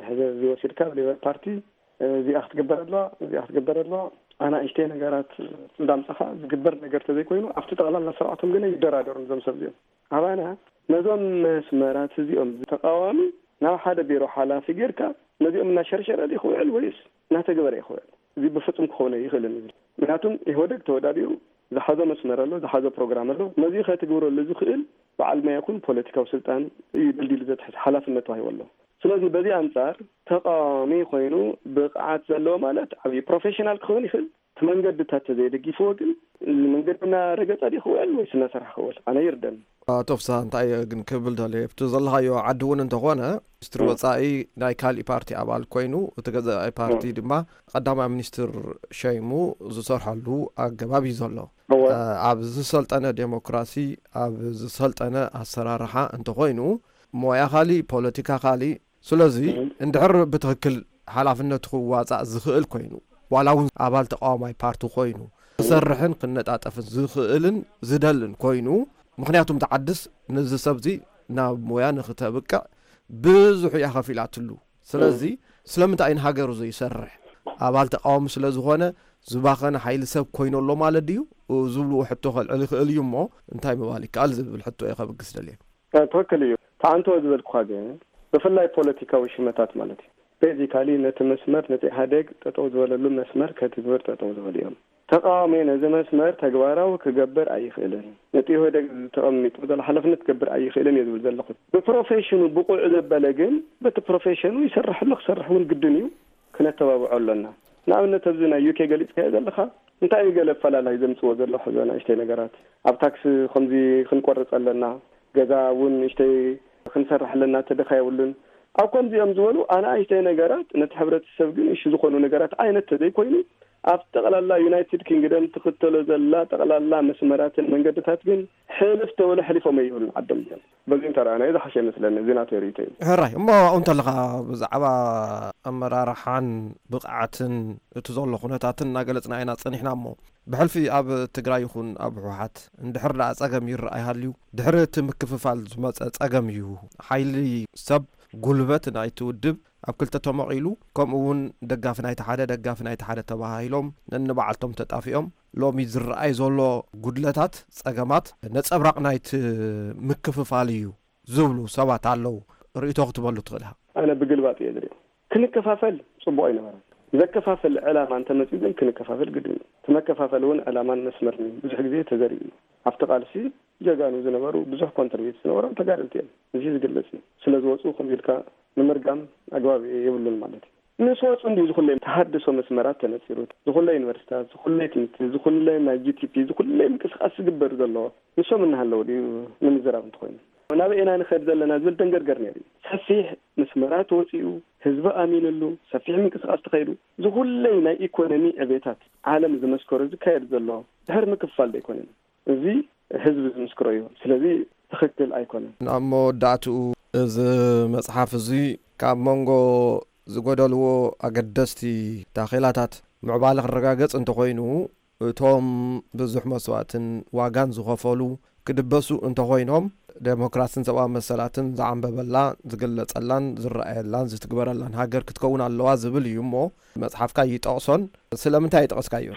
ሕዚ እዚ ወሲድካ ኣብ ሌበር ፓርቲ እዚኣ ክትግበር ኣለዋ፣ እዚኣ ክትግበር ኣለዋ፣ ኣናእሽተይ ነገራት እንዳምጻኻ ዝግበር ነገር ተዘይኮይኑ ኣብቲ ጠቕላላ ስርዓቶም ግን ይደራደሩን እዞም ሰብ እዚኦም። ኣባና ነዞም መስመራት እዚኦም ተቃዋሚ ናብ ሓደ ቢሮ ሓላፊ ጌርካ ነዚኦም እናሸርሸረ ድዩ ክውዕል ወይስ እናተግበረ እዩ ክውዕል? እዚ ብፍጹም ክኸውን ኣይኽእልን እዩ። ምክንያቱም ኢህወደግ ተወዳዲሩ ዝሓዞ መስመር ኣሎ፣ ዝሓዞ ፕሮግራም ኣሎ። ነዚ ከትግብረሉ ዝኽእል በዓል ሞያ ይኹን ፖለቲካዊ ስልጣን እዩ ደልዲሉ ዘትሕዝ ሓላፍነት ተዋሂቡ ኣሎ። ስለዚ በዚ ኣንጻር ተቃዋሚ ኮይኑ ብቕዓት ዘለዎ ማለት ዓብዪ ፕሮፌሽናል ክኸውን ይኽእል። እቲ መንገድታት ተዘይደጊፍዎ ግን መንገዲ እናረገጸ ድዩ ክውዕል ወይስ እናሰርሐ ክውዕል? ኣነ ይርደኒ። ኣቶ ፍስሃ፣ እንታይ እየ ግን ክብል ደልየ፣ ኣብቲ ዘለኻዮ ዓዲ እውን እንተኾነ ሚኒስትሪ ወጻኢ ናይ ካሊእ ፓርቲ ኣባል ኮይኑ፣ እቲ ገዛኢ ፓርቲ ድማ ቀዳማይ ሚኒስትር ሸይሙ ዝሰርሐሉ ኣገባብ እዩ ዘሎ። እወ። እ፣ ኣብ ዝሰልጠነ ዴሞክራሲ፣ ኣብ ዝሰልጠነ ኣሰራርሓ እንተኾይኑ፣ ሞያ ካሊእ፣ ፖለቲካ ካሊእ። ስለዚ እንድሕር ብትኽክል ሓላፍነቱ ክዋጻእ ዝኽእል ኮይኑ፣ ዋላ እውን ኣባል ተቃዋማይ ፓርቲ ኮይኑ፣ ክሰርሕን ክነጣጠፍን ዝኽእልን ዝደልን ኮይኑ፣ ምኽንያቱም ተዓድስ ነዚ ሰብዚ ናብ ሞያ ንክተብቅዕ ብዙሕ እያ ከፊላትሉ። ስለዚ ስለምንታይ እዩ ንሃገሩ ዘይሰርሕ? ኣባል ተቃዋሚ ስለ ዝኾነ ዝባኸነ ሓይሊ ሰብ ኮይኑ ኣሎ ማለት ድዩ? ዝብልዎ ሕቶ ከልዕል ይኽእል እዩ እሞ፣ እንታይ ምባል ይከኣል ዝብል ሕቶ እየ ከብግስ ደልየ። እ፣ ትኽክል እዩ። ተዓንቶ ዝበልኩኻ ግን ብፍላይ ፖለቲካዊ ሽመታት ማለት እዩ። ቤዚካሊ ነቲ መስመር፣ ነቲ ኢህኣዴግ ጠጠው ዝበለሉ መስመር ከትግብር ጠጠው ዝበሉ እዮም። ተቃዋሚ ነዚ መስመር ተግባራዊ ክገብር ኣይኽእልን፣ ነቲ ኢህወደግ ተቐሚጡ ዘሎ ሓላፍነት ክገብር ኣይኽእልን እየ ዝብል ዘለኹ። ብፕሮፌሽኑ ብቑዕ ዘበለ ግን በቲ ፕሮፌሽኑ ይሰርሕ ኣሎ፣ ክሰርሕ እውን ግድን እዩ። ክነተባብዖ ኣሎና። ንኣብነት ኣብዚ ናይ ዩኬ ገሊጽካዮ ዘለኻ እንታይ እዩ ገለ ኣፈላላይ ዘምጽዎ ዘሎ ሕዚ ንእሽተይ ነገራት? ኣብ ታክስ ከምዚ ክንቆርጽ ኣለና፣ ገዛ እውን ንእሽተይ ክንሰርሕ ኣለና፣ ተደኻ የብሉን። ኣብ ከምዚኦም ዝበሉ ኣናእሽተይ ነገራት ነቲ ሕብረተሰብ ግን እሺ ዝኾኑ ነገራት ዓይነት ተዘይኮይኑ ኣብ ጠቕላላ ዩናይትድ ኪንግደም ትኽተሎ ዘላ ጠቕላላ መስመራትን መንገድታት ግን ሕልፍ ተበሉ ሕሊፎም ኣይብሉን ዓዶም እዮም። በዚ እንተረኣናዮ ዝሓሸ ይመስለኒ። እዚ ናተይ ርእይቶ እዩ። ሕራይ እሞ ኣብኡ እንተለኻ ብዛዕባ ኣመራርሓን ብቕዓትን እቲ ዘሎ ኩነታትን እናገለጽና ኢና ጸኒሕና እሞ ብሕልፊ ኣብ ትግራይ ይኹን ኣብ ህወሓት እንድሕር ደኣ ጸገም ይረኣይ ሃልዩ ድሕሪ እቲ ምክፍፋል ዝመጸ ጸገም እዩ። ሓይሊ ሰብ ጉልበት ናይቲ ውድብ ኣብ ክልተ ተመቒሉ ከምኡ እውን ደጋፊ ናይቲ ሓደ ደጋፊ ናይቲ ሓደ ተባሂሎም ነንባዕልቶም ተጣፊኦም ሎሚ ዝረኣይ ዘሎ ጉድለታት ጸገማት ነጸብራቕ ናይቲ ምክፍፋል እዩ ዝብሉ ሰባት ኣለዉ። ርእይቶ ክትበሉ ትኽእል ኢኻ። ኣነ ብግልባጥ እየ ዝሪኦ። ክንከፋፈል ጽቡቕ ኣይነበረን። ዘከፋፈል ዕላማ እንተመጺኡ ግን ክንከፋፈል ግድን እዩ። እቲ መከፋፈል እውን ዕላማን መስመርን እዩ። ብዙሕ ግዜ ተዘሪኡ እዩ። ኣብቲ ቃልሲ ጀጋኑ ዝነበሩ ብዙሕ ኮንትሪቢዩት ዝነበሮም ተጋደልቲ እዮም። እዚ ዝግለጽ እዩ። ስለ ዝወጹ ከምዚ ኢልካ ንምርጋም ኣግባብ የብሉን ማለት እዩ። ምስ ወጹ እንዲ ዝኹለይ ተሃድሶ መስመራት ተነጺሩ፣ ዝኹለይ ዩኒቨርሲታት፣ ዝኹለይ ትምህርቲ፣ ዝኹለይ ናይ ጂ ቲ ፒ፣ ዝኹለይ ምንቅስቃስ ዝግበር ዘሎ ንሶም እናሃለዉ ድዩ ንምዝራብ እንተኾይኑ? ናበይ ኢና ንኸድ ዘለና ዝብል ደንገርገር ነይሩ እዩ። ሰፊሕ መስመራት ተወጺኡ፣ ህዝቢ ኣሚንሉ፣ ሰፊሕ ምንቅስቃስ ተኸይዱ፣ ዝኹለይ ናይ ኢኮኖሚ ዕቤታት ዓለም ዝመስከሮ ዝካየድ ዘሎ ድሕሪ ምክፍፋል ዶ ኣይኮነን? እዚ ህዝቢ ዝምስክሮ እዩ። ስለዚ ትኽክል ኣይኮነን። ኣብ መወዳእትኡ እዚ መጽሓፍ እዚ ካብ መንጎ ዝጎደልዎ ኣገደስቲ ታኼላታት ምዕባለ ክረጋገጽ እንተኾይኑ፣ እቶም ብዙሕ መስዋእትን ዋጋን ዝኸፈሉ ክድበሱ እንተኾይኖም፣ ዴሞክራስን ሰብኣዊ መሰላትን ዝዓንበበላ፣ ዝግለጸላን ዝረኣየላን ዝትግበረላን ሃገር ክትከውን ኣለዋ ዝብል እዩ እሞ፣ መጽሓፍካ ይጠቕሶን ስለምንታይ ይጠቐስካዮ?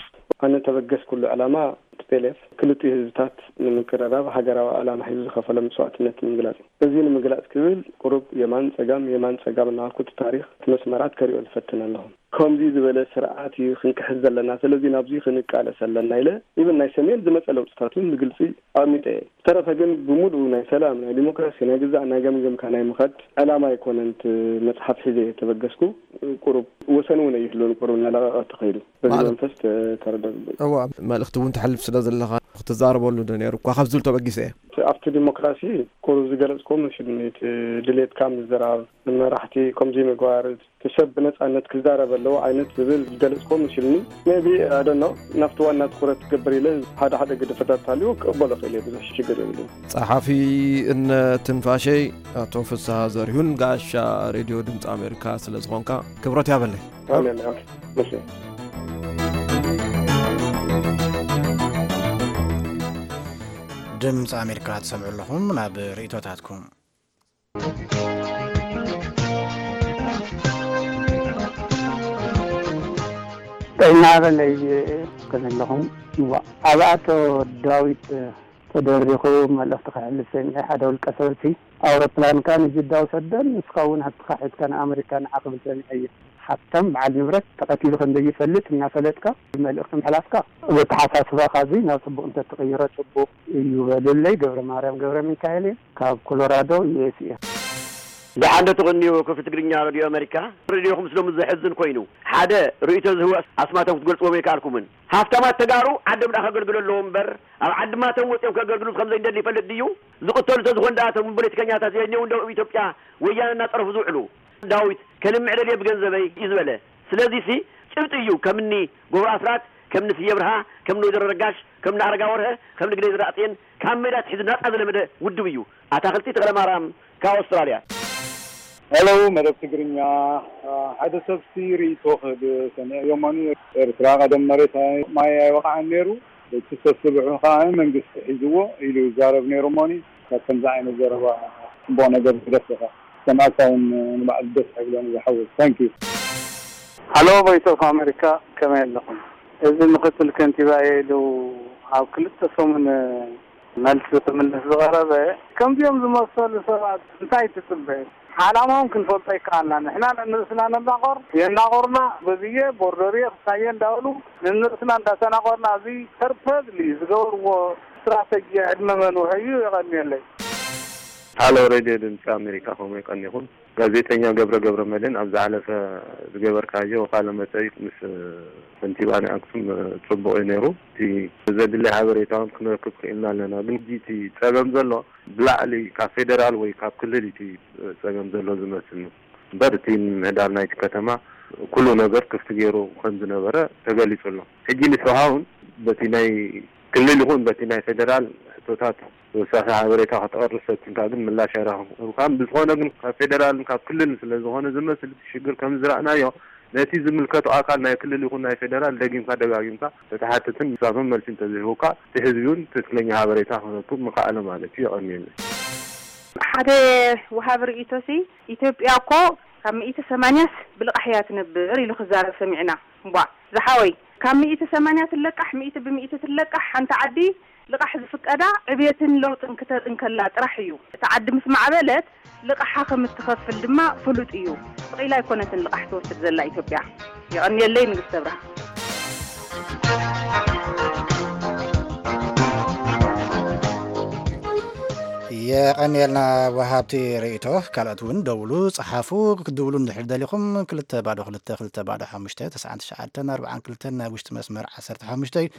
ኣነ ተበገስኩሉ ዕላማ ቲ ፒ ኤል ኤፍ ክልቲኡ ህዝብታት ንምቅርራብ ሃገራዊ ዕላማ ሒዙ ዝኸፈሎ መስዋእትነት ንምግላጽ እዩ። እዚ ንምግላጽ ክብል ቁሩብ የማን ጸጋም፣ የማን ጸጋም እናበልኩ እቲ ታሪኽ፣ እቲ መስመራት ከሪኦ ዝፈትን ኣለኹ። ከምዚ ዝበለ ስርዓት እዩ ክንክሕስ ዘለና፣ ስለዚ ናብዚ ክንቃለስ ኣለና ኢለ፣ ኢብን ናይ ሰሜን ዝመጸ ለውጥታት እውን ብግልጺ ኣቐሚጠ እየ። ዝተረፈ ግን ብምሉኡ ናይ ሰላም፣ ናይ ዲሞክራሲ፣ ናይ ግዛእ ናይ ገምገምካ ናይ ምኸድ ዕላማ ኣይኮነን እቲ መጽሓፍ ሒዘ እየ ተበገስኩ። ቁሩብ ወሰን እውን ኣይህሉን፣ ቁሩብ እናለቐቐ ተኸይዱ። በዚ ማለት መንፈስ ተ-፣ ተረዳእ። እዋ፣ መልእኽቲ እውን ተሕልፍ ስለ ዘለኻ ክትዛረበሉ ዶ ነይሩ እኳ ካብ ዝብል ተበጊሰ እየ። ኣብቲ ዲሞክራሲ ቁሩብ ዝገለጽኩዎ መሲሉኒ፣ እቲ ድሌትካ ምዝራብ፣ ንመራሕቲ ከምዚ ምግባር፣ እቲ ሰብ ብነጻነት ክዛረብ ኣለዎ ዓይነት ዝብል ዝገለጽኩዎ መሲሉኒ። ሜቢ፣ I don't know፣ ናብቲ ዋና ትኹረት ክገብር ኢለ ሓደ ሓደ ግድፈታት ተሃልዩ ክቕበሎ ክእል እየ፣ ብዙሕ ሽግር የብሉን። ጸሓፊ እነ ትንፋሸይ ኣቶ ፍስሃ ዘሪሁን ጋሻ ሬድዮ ድምፂ ኣሜሪካ ስለ ዝኾንካ ክብረት ያበለይ። ኣሜን። ኦኬ። እሺ። ድምፂ ኣሜሪካ ትሰምዑ ኣለኹም። ናብ ርእይቶታትኩም። ጥዕና በለይ። ከመይ ኣለኹም? እዋ፣ ኣብ ኣቶ ዳዊት ተደሪኹ መልእኽቲ ክሕልፍ ሰሚዐ። ሓደ ውልቀ ሰብሲ ኣውሮፕላንካ ንጅዳ ውሰደን፣ ንስኻ እውን ሃብትኻ ሒዝካ ንኣመሪካ ንዓ ክብል ሰሚዐ እየ። ሃብታም በዓል ንብረት ተቐቲሉ ከም ዘይፈልጥ እናፈለጥካ መልእኽቲ ምሕላፍካ፣ በተሓሳስባኻ እዚ ናብ ጽቡቕ እንተትቕይሮ ጽቡቕ እዩ በሉለይ። ገብረ ማርያም ገብረ ሚካኤል እየ፣ ካብ ኮሎራዶ፣ ዩ ኤስ ኤ። ደሓን ዶ ትቕንዩ? ክፍቲ ትግርኛ ሬድዮ ኣመሪካ። ሬድዮኹም ስለ ዘሕዝን ኮይኑ፣ ሓደ ርእይቶ ዝህቡ ኣስማቶም ክትገልጽዎም ኣይከኣልኩምን። ሃፍታማት ተጋሩ ዓዶም ደኣ ከገልግሉ ኣለዎም እምበር፣ ኣብ ዓዲ ማቶም ወጺኦም ከገልግሉ ከም ዘይደሊ ይፈልጥ ድዩ? ዝቕተሉ እንተዝኾኑ ደኣ እቶም ፖለቲከኛታት የድልዩ እንዶ ኣብ ኢትዮጵያ ወያነ እናጸረፉ ዝውዕሉ? ዳዊት፣ ከልምዕ ደልየ ብገንዘበይ እዩ ዝበለ። ስለዚሲ ጭብጢ እዩ። ከምኒ ገብሩ ኣስራት፣ ከምኒ ስየ ብርሃ፣ ከምኒ ወይዘሮ ረጋሽ፣ ከምኒ ኣረጋ ወርሀ፣ ከምኒ ግደይ ዘርኣጽዮን ካብ ሜዳ ኣትሒዙ ናጻ ዝለመደ ውድብ እዩ። ኣታኽልቲ ተኽለማርያም ካብ ኣውስትራልያ። ሄሎ፣ መደብ ትግርኛ። ሓደ ሰብሲ ርእይቶ ክህብ ሰሚዐዮ እሞኒ፣ ኤርትራ ቀደም መሬት ኣይ-፣ ማይ ኣይወቕዓን ነይሩ፣ እቲ ሰብሲ ብሑ ከኣ መንግስቲ ሒዝዎ ኢሉ ይዛረብ ነይሩ እሞኒ፣ ካብ ከምዚ ዓይነት ዘረባ ጽቡቕ ነገር ዝደፍእ ሰማዕካ እውን ንባዕሉ ደስ ኣይብሎን ዝሓወይ። ታንክ ዩ። ሃሎ፣ ቮይስ ኦፍ ኣሜሪካ፣ ከመይ ኣለኹም? እዚ ምክትል ከንቲባ ኢሉ ኣብ ክልተ ሰሙን መልሲ ክምልስ ዝቐረበ፣ ከምዚኦም ዝመሰሉ ሰባት እንታይ ትጽበ? ዓላማኦም ክንፈልጦ ይከኣልና። ንሕና ነንርእስና ነናቆር፣ የናቆርና፣ በዝየ፣ ቦርደርየ፣ ክሳየ እንዳበሉ ነንርእስና እንዳተናቆርና፣ እዚ ፐርፐዝሊ ዝገበርዎ ስትራተጂ ዕድመ መንውሒ እዩ። የቐንየለይ። ሃሎ፣ ሬድዮ ድምፂ ኣሜሪካ፣ ከመይ ቀኒኹም? ጋዜጠኛ ገብረ ገብረ መድህን፣ ኣብ ዝሓለፈ ዝገበርካዮ ቃለ መጠይቅ ምስ ከንቲባ ናይ ኣክሱም ጽቡቕ እዩ ነይሩ። እቲ ዘድሊ ሓበሬታ እውን ክንረክብ ክኢልና ኣለና። ግን ሕጂ እቲ ጸገም ዘሎ ብላዕሊ ካብ ፌደራል ወይ ካብ ክልል እዩ እቲ ጸገም ዘሎ ዝመስልኒ። እምበር እቲ ምምህዳር ናይቲ ከተማ ኩሉ ነገር ክፍቲ ገይሩ ከም ዝነበረ ተገሊጹ ኣሎ። ሕጂ ንስኻ እውን በቲ ናይ ክልል ይኹን በቲ ናይ ፌደራል ሕቶታት ተወሳኺ ሓበሬታ ከተቕርብ ፈቲንካ ግን ምላሽ ኣይረኸብካን። ብዝኾነ ግን ካብ ፌደራልን ካብ ክልልን ስለ ዝኾነ ዝመስል እቲ ሽግር ከም ዝረኣናዮ ነቲ ዝምልከቶ ኣካል ናይ ክልል ይኹን ናይ ፌደራል ደጊምካ ደጋጊምካ ተትሓትትን ንሳቶም መልሲ እንተዝህቡካ እቲ ህዝቢ እውን ትክክለኛ ሓበሬታ ክረክብ ምኸኣለ ማለት እዩ። የቐንየለይ። ሓደ ወሃቢ ርእይቶሲ፣ ኢትዮጵያ እኮ ካብ ሚእቲ ሰማንያስ ብልቓሕ እያ ትነብር ኢሉ ክዛረብ ሰሚዕና። እምቧ፣ ዝሓወይ፣ ካብ ሚእቲ ሰማንያ ትለቃሕ፣ ሚእቲ ብሚእቲ ትለቃሕ ሓንቲ ዓዲ ልቓሕ ዝፍቀዳ ዕብየትን ለውጥን ክተርኢ እንከላ ጥራሕ እዩ። እታ ዓዲ ምስ ማዕበለት ልቓሓ ከም እትኸፍል ድማ ፍሉጥ እዩ። ስቕ ኢላ ኣይኮነትን ልቓሕ ትወስድ ዘላ ኢትዮጵያ። የቐንየለይ ንግስተ ብርሃን። የቐንየልና ወሃብቲ ርእይቶ። ካልኦት እውን ደውሉ፣ ጸሓፉ። ክትድውሉ እንድሕር ደሊኹም ክልተ ባዶ ክልተ ክልተ ባዶ ሓሙሽተ ተስዓን ትሽዓተን ኣርባዓን ክልተን ናይ ውሽጢ መስመር ዓሰርተ ሓሙሽተ እዩ።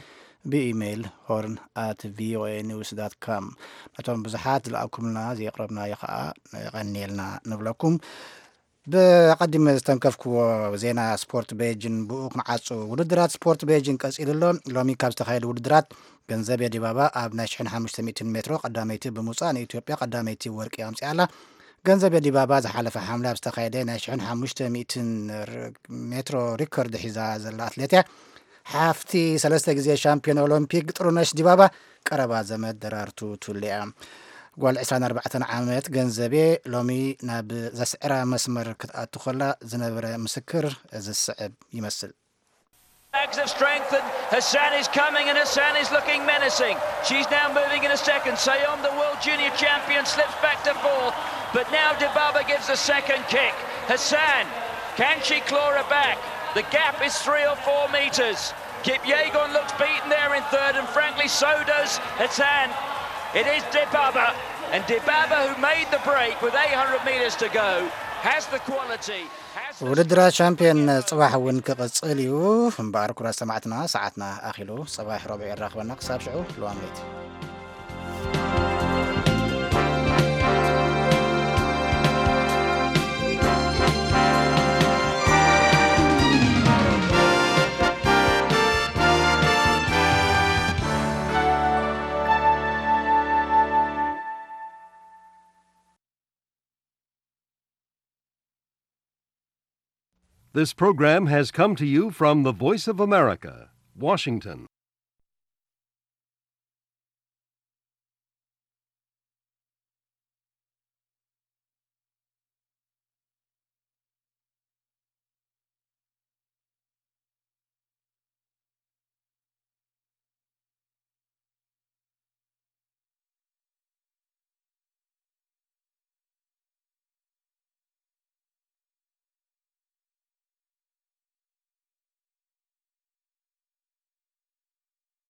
ብኢሜይል ሆርን ኣት ቪኦኤ ኒውስ ዳት ካም። ነቶም ብዙሓት ዝለኣኩምልና ዘየቕረብናዮ ኸኣ የቐንየልና ንብለኩም። ብቐዲም ዝተንከፍክዎ ዜና ስፖርት ቤጂን ብኡ ክንዓጹ። ውድድራት ስፖርት ቤጂን ቀጺሉ ኣሎ። ሎሚ ካብ ዝተኻየዱ ውድድራት ገንዘቤ ዲባባ ኣብ ናይ ሽሕን ሓሙሽተ ሚእትን ሜትሮ ቀዳመይቲ ብምውጻእ ንኢትዮጵያ ቀዳመይቲ ወርቂ ኣምጺኣ ኣላ። ገንዘቤ ዲባባ ዝሓለፈ ሓምለ ኣብ ዝተኻየደ ናይ ሽሕን ሓሙሽተ ሚእትን ር-፣ ሜትሮ ሪከርድ ሒዛ ዘላ ኣትሌት እያ። ሓፍቲ ሰለስተ ግዜ ሻምፒዮን ኦሎምፒክ ጥሩነሽ ዲባባ ቀረባ ዘመድ ደራርቱ ቱሉ እያ። ጓል ዕስራን ኣርባዕተን ዓመት ገንዘቤ ሎሚ ናብ ዘስዕራ መስመር ክትኣቱ ከላ ዝነበረ ምስክር እዚ ዝስዕብ ይመስል። Bags of strength, and Hassan is coming, and Hassan is looking menacing. She's now moving in a second. Sayom, the world junior champion, slips back to fourth, but now Dibaba gives the second kick. Hassan, can she claw her back? The gap is three or four metres. Kipyegon looks beaten there in third, and frankly, so does Hassan. It is Dibaba, and Dibaba, who made the break with eight hundred metres to go, has the quality, has the ውድድራት ሻምፒዮን ጽባሕ እውን ክቕጽል እዩ። እምበኣር፣ ክቡራት ሰማዕትና፣ ሰዓትና ኣኺሉ። ጽባሕ ረቡዕ የራኽበና። ክሳብ ሽዑ፣ ለዋም ለይቲ። This program has come to you from the Voice of America, Washington.